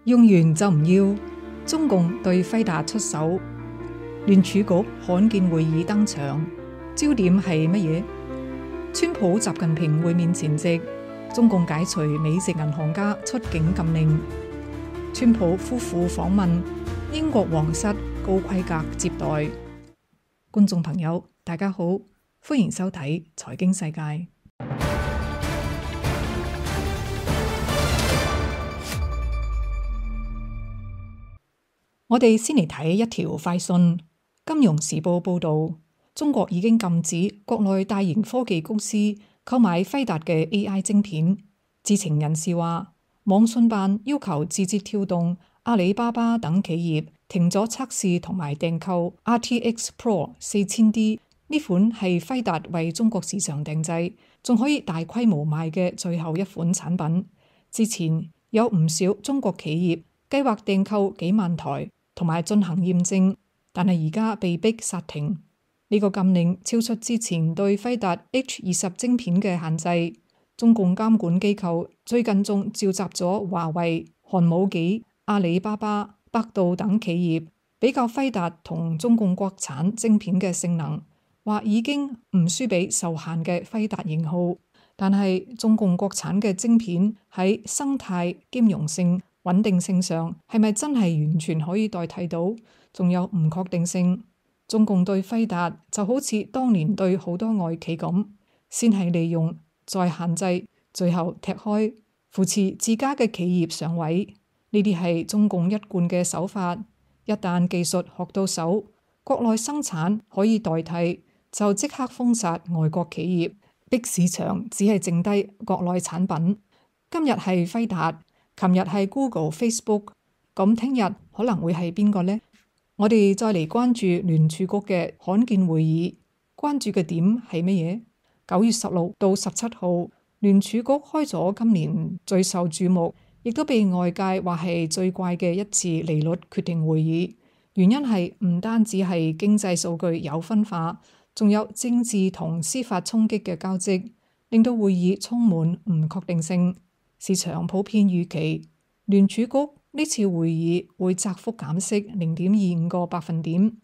用完就唔要，中共對輝達出手，聯儲局罕見會議登場，焦點係乜嘢？川普習近平會面前夕，中共解除美籍銀行家出境禁令，川普夫婦訪問英國皇室高規格接待。觀眾朋友，大家好，歡迎收睇財經世界。我哋先嚟睇一條快訊，《金融時報》報導，中國已經禁止國內大型科技公司購買輝達嘅 AI 晶片。知情人士話，網信辦要求字節跳動、阿里巴巴等企業停咗測試同埋訂購 RTX Pro 4000D 呢款係輝達為中國市場訂製，仲可以大規模賣嘅最後一款產品。之前有唔少中國企業計劃訂購幾萬台，同埋進行驗證，但係而家被逼剎停。呢個禁令超出之前對輝達 H20 晶片嘅限制。中共監管機構最近仲召集咗華為、寒武紀、阿里巴巴、百度等企業，比較輝達同中共國產晶片嘅性能，話已經唔輸俾受限嘅輝達型號。但係中共國產嘅晶片喺生態兼容性、穩定性上係咪真係完全可以代替到？仲有唔確定性。中共對輝達就好似當年對好多外企咁，先係利用，再限制，最後踢開，扶持自家嘅企業上位。呢啲係中共一貫嘅手法。一旦技術學到手，國內生產可以代替，就即刻封殺外國企業，逼市場只係剩低國內產品。今日係輝達，琴日係 Google、Facebook， 咁聽日可能會係邊個呢？我哋再嚟關注聯儲局嘅罕見會議，關注嘅點係乜嘢？9月16到17號，聯儲局開咗今年最受注目，亦都被外界話係最怪嘅一次利率決定會議。原因係唔單止係經濟數據有分化，仲有政治同司法衝擊嘅交織，令到會議充滿唔確定性。市場普遍預期聯儲局呢次會議會窄幅減息0.25個百分點。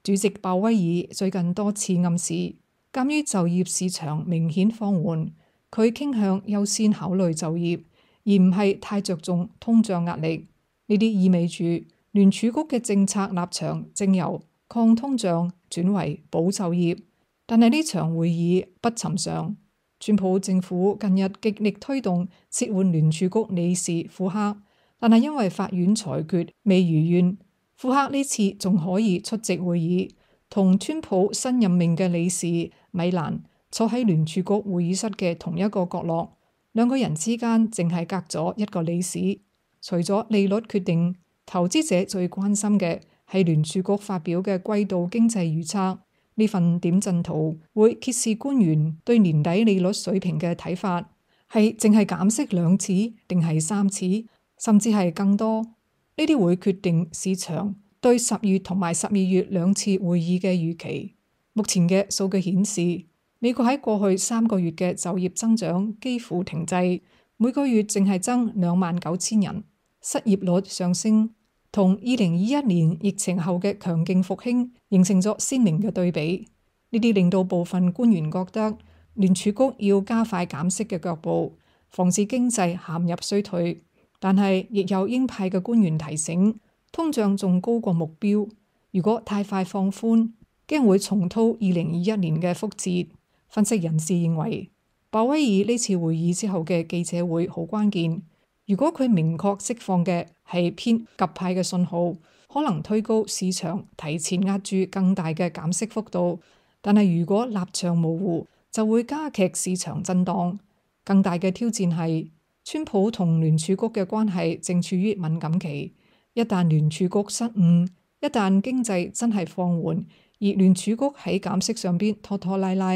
主席鮑威爾最近多次暗示，鑑於就業市場明顯放緩，佢傾向優先考慮就業，而唔係太着重通脹壓力。呢啲意味住聯儲局嘅政策立場正由抗通脹轉為保就業。但係呢場會議不尋常。川普政府近日極力推動撤換聯儲局理事庫克，但係因為法院裁決未如願，庫克呢次仲可以出席會議，同川普新任命嘅理事米蘭坐喺聯儲局會議室嘅同一個角落，兩個人之間淨係隔咗一個理事。除咗利率決定，投資者最關心嘅係聯儲局發表嘅季度經濟預測。呢份點陣圖會揭示官員對年底利率水平嘅睇法，係淨係減息2次定係3次，甚至係更多。呢啲會決定市場對10月同埋12月2次會議嘅預期。目前嘅數據顯示，美國喺過去3個月嘅就業增長幾乎停滯，每個月淨係增29,000人，失業率上升，同2021年疫情後嘅強勁復興形成咗鮮明嘅對比。呢啲令到部分官員覺得聯儲局要加快減息嘅腳步，防止經濟陷入衰退。但係亦有鷹派嘅官員提醒，通脹仲高過目標，如果太快放寬，驚會重蹈2021年嘅覆轍。分析人士認為，鮑威爾呢次會議之後嘅記者會好關鍵。如果佢明確釋放嘅係偏鴿派嘅信號，可能推高市場提前壓住更大嘅減息幅度；但係如果立場模糊，就會加劇市場震盪。更大嘅挑戰係，川普同聯儲局嘅關係正處於敏感期。一旦聯儲局失誤，一旦經濟真係放緩，而聯儲局喺減息上邊拖拖拉拉，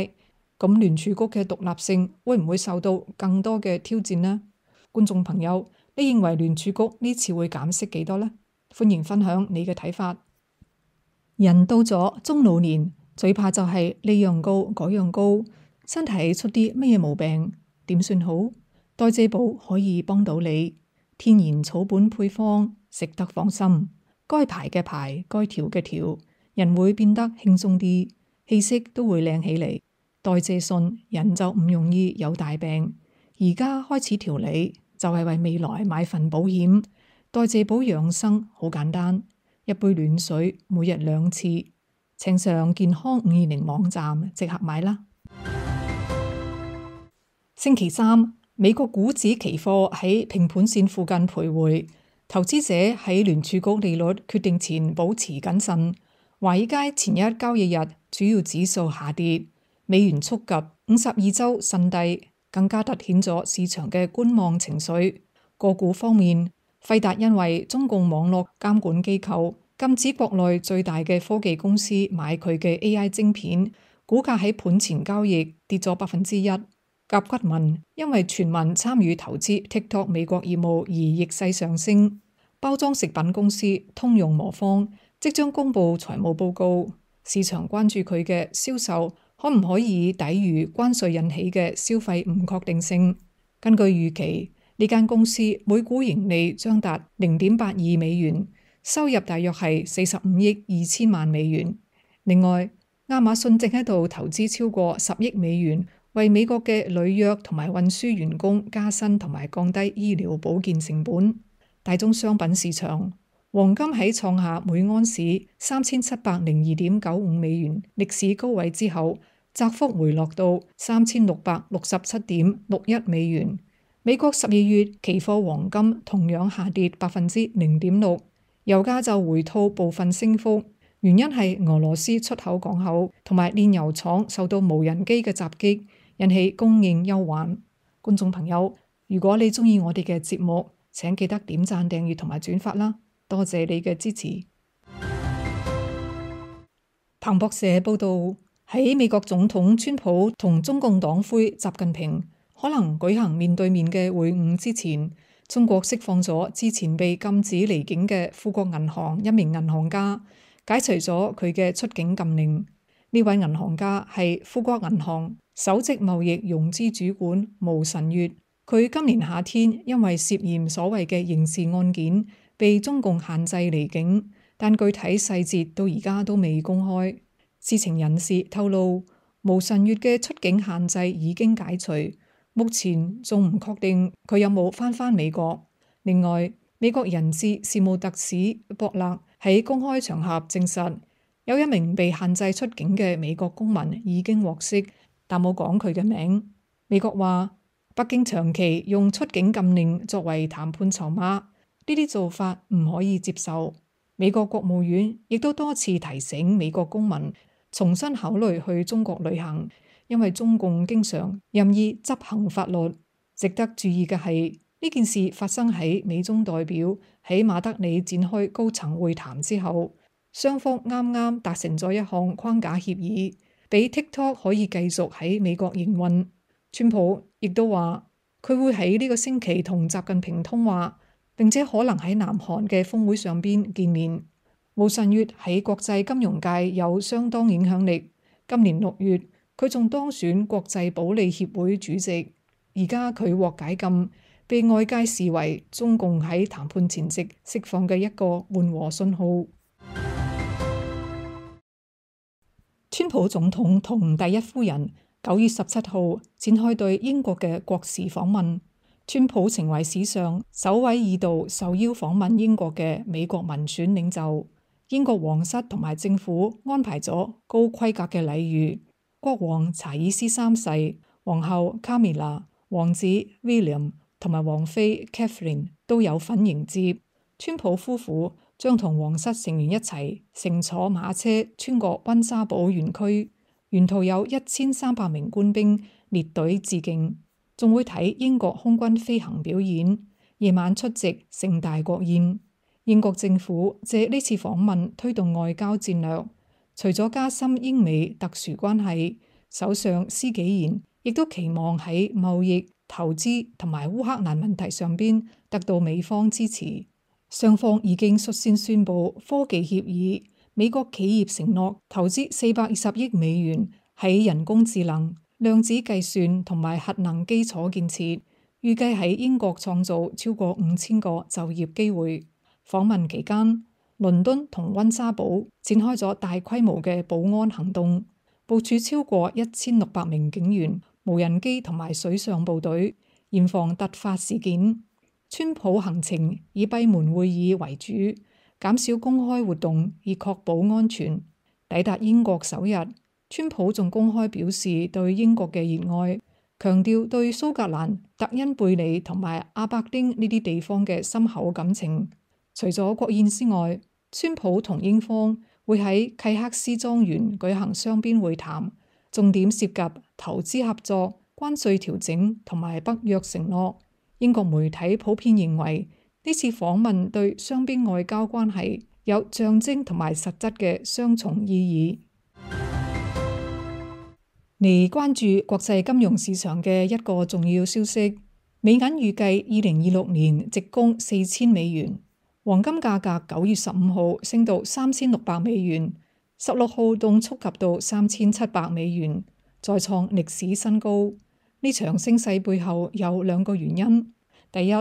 咁聯儲局嘅獨立性會唔會受到更多嘅挑戰呢？觀眾朋友，你認為聯儲局呢次會減息幾多呢？歡迎分享你嘅睇法。人到咗中老年，最怕就係呢樣高嗰樣高，身體出啲乜嘢毛病，點算好？代謝寶可以幫到你。天然草本配方，食得放心。該排嘅排，該調嘅調，人會變得輕鬆啲，氣息都會靚起嚟。代謝順，人就唔容易有大病。而家開始調理，就係為未來買份保險。代謝保養生好簡單，一杯暖水，每日2次。請上健康520網站即刻買啦。星期三，美國股指期貨喺平盤線附近徘徊，投資者喺聯儲局利率決定前保持謹慎。華爾街前一交易日主要指數下跌，美元觸及52週新低，更加凸顯咗市場嘅觀望情緒。個股方面，輝達因為中共網絡監管機構禁止國內最大嘅科技公司買佢嘅 AI 晶片，股價喺盤前交易跌咗1%。甲骨文因為傳聞參與投資 TikTok 美國業務而逆勢上升。包裝食品公司通用磨坊即將公布財務報告，市場關注佢嘅銷售可唔可以抵禦關稅引起嘅消費唔確定性。根據預期，呢間公司每股盈利將達0.82美元，收入大約係45億2千萬美元。另外，亞馬遜正喺度投資超過10億美元，為美國嘅履約同埋運輸員工加薪同埋降低醫療保健成本。大宗商品市場，黃金喺創下每盎司3702.95美元歷史高位之後，窄幅回落到3667.61美元。美國12月期貨黃金同樣下跌0.6%，油價就回吐部分升幅，原因係俄羅斯出口港口同埋煉油廠受到無人機嘅襲擊，引起供應憂患。觀眾朋友，如果你鍾意我哋嘅節目，請記得點讚、訂閱同埋轉發啦，多謝你嘅支持。彭博社報道，喺美國總統川普同中共黨魁習近平可能舉行面對面嘅會晤之前，中國釋放咗之前被禁止離境嘅富國銀行一名銀行家，解除咗佢嘅出境禁令。呢位銀行家係富國銀行首席貿易融資主管毛晨月。佢今年夏天因為涉嫌所謂嘅刑事案件，被中共限制離境，但具體細節到而家都未公開。知情人士透露，毛晨月嘅出境限制已經解除，目前仲唔確定佢有冇返美國。另外，美國人質事務特使博勒喺公開場合證實，有一名被限制出境嘅美國公民已經獲釋，但冇講佢嘅名。美國話，北京長期用出境禁令作為談判籌碼，呢啲做法唔可以接受。美國國務院亦都多次提醒美國公民重新考慮去中國旅行，因為中共經常任意執行法律。值得注意嘅係，呢件事發生喺美中代表喺馬德里展開高層會談之後，雙方啱啱達成咗一項框架協議，俾 TikTok 可以繼續喺美國營運。川普亦都話佢會喺呢個星期同習近平通話，並且可能喺南韓嘅峰會上邊見面。毛晨月喺國際金融界有相當影響力，今年6月佢仲當選國際保利協會主席。而家佢獲解禁，被外界視為中共喺談判前夕釋放嘅一個緩和信號。川普總統同第一夫人9月17號展開對英國嘅國事訪問，川普成為史上首位2度受邀訪問英國嘅美國民選領袖。英國皇室同埋政府安排咗高規格嘅禮遇，國王查爾斯3世、皇后卡米拉、王子 William 同埋王妃 Catherine 都有份迎接。川普夫婦將同皇室成員一齊乘坐馬車穿過溫莎堡園區。沿途有1300名官兵列隊致敬，仲會睇英國空軍飛行表演，夜晚出席盛大國宴。英國政府借呢次訪問推動外交戰略，除咗加深英美特殊關係，首相施紀賢亦都期望喺貿易、投資同埋烏克蘭問題上邊得到美方支持。雙方已經率先宣布科技協議。美國企業承諾投資420億美元喺人工智能、量子計算同埋核能基礎建設，預計喺英國創造超過5000個就業機會。訪問期間，倫敦同溫莎堡展開咗大規模嘅保安行動，部署超過1600名警員、無人機同埋水上部隊，嚴防突發事件。川普行程以閉門會議為主，減少公開活動以確保安全。抵達英國首日，川普仲公開表示對英國嘅熱愛，強調對蘇格蘭、特恩貝里同埋阿伯丁呢啲地方嘅深厚感情。除咗國宴之外，川普同英方會喺契克斯莊園舉行雙邊會談，重點涉及投資合作、關稅調整同埋北約承諾。英國媒體普遍認為呢次訪問對雙邊外交關係有象徵同埋實質嘅雙重意義。嚟關注國際金融市場嘅一個重要消息，美銀預計2026年直攻4000美元。黃金價格9月15號升到3600美元，16號凍觸及到3700美元，再創歷史新高。呢場升勢背後有2個原因：第一，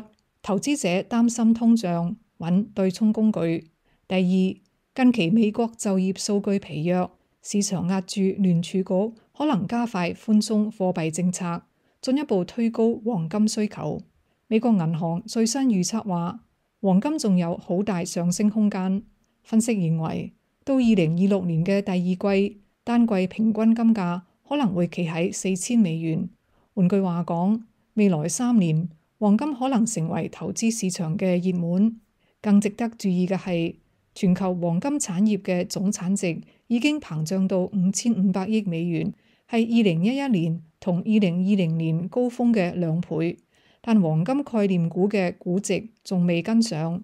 投資者擔心通脹，揾對沖工具；第二，近期美國就業數據疲弱，市場壓住聯儲局可能加快寬鬆貨幣政策，進一步推高黃金需求。美國銀行最新預測話，黃金仲有好大上升空間。分析認為，到2026年嘅第二季，單季平均金價可能會企喺4000美元。換句話講，未來3年，黃金可能成為投資市場嘅熱門。更值得注意嘅係，全球黃金產業嘅總產值已經膨脹到5500億美元，係2011年同2020年高峰嘅2倍。但黃金概念股嘅估值仲未跟上，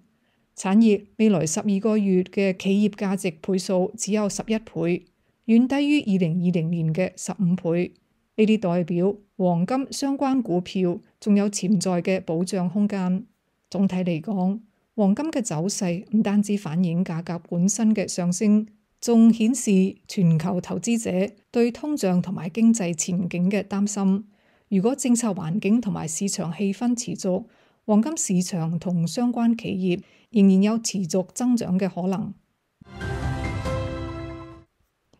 產業未來12個月嘅企業價值倍數只有11倍，遠低於2020年嘅15倍。呢啲代表黃金相關股票仲有潛在嘅保障空間。總體嚟講，黃金嘅走勢唔單止反映價格本身嘅上升，仲顯示全球投資者對通脹同埋經濟前景嘅擔心。如果政策環境同埋市場氣氛持續，黃金市場同相關企業仍然有持續增長嘅可能。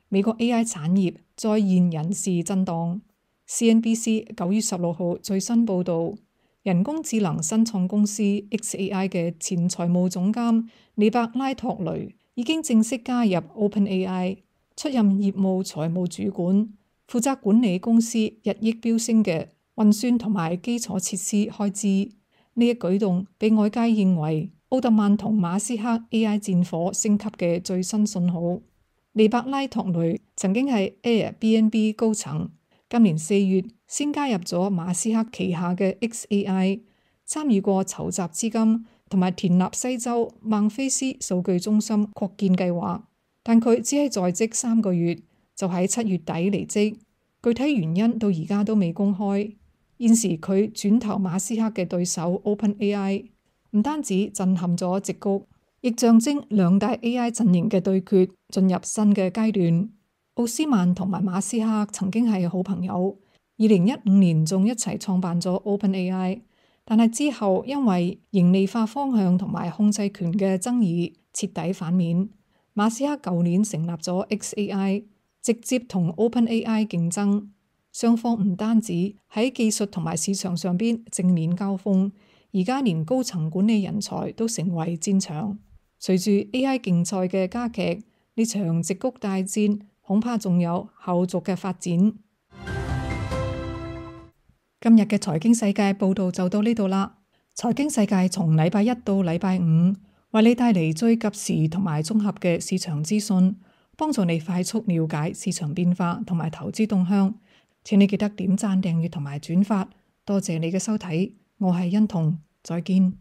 美國 AI 產業再現人事震盪。CNBC 9月16號最新報導，人工智能新創公司 xAI 嘅前財務總監里伯拉托雷已經正式加入 OpenAI， 出任業務財務主管，負責管理公司日益飆升嘅運算同埋基礎設施開支。呢一舉動被外界認為奧特曼同馬斯克 AI 戰火升級嘅最新信號。里伯拉托雷曾經係 Airbnb 高層，今年4月先加入咗馬斯克旗下嘅 xAI， 參與過籌集資金同埋田納西州孟菲斯數據中心擴建計劃，但佢只係在職3個月，就喺7月底離職，具體原因到而家都未公開。現時佢轉投馬斯克嘅對手 OpenAI， 唔單止震撼咗矽谷，亦象徵兩大 AI 陣營嘅對決進入新嘅階段。奧斯曼同埋馬斯克曾經係好朋友，2015年仲一齊創辦咗 OpenAI， 但係之後因為盈利化方向同埋控制權嘅爭議徹底反面。馬斯克舊年成立咗 xAI， 直接同 OpenAI 競爭，雙方唔單止喺技術同埋市場上邊正面交鋒，而家連高層管理人才都成為戰場。隨住 AI 競賽嘅加劇，呢場矽谷大戰恐怕仲有後續嘅發展。今日嘅財經世界報道就到呢度啦。財經世界從禮拜一到禮拜五，為你帶嚟最及時同埋綜合嘅市場資訊，幫助你快速了解市場變化同埋投資動向。請你記得點讚、訂閱同埋轉發。多謝你嘅收睇，我係欣彤，再見。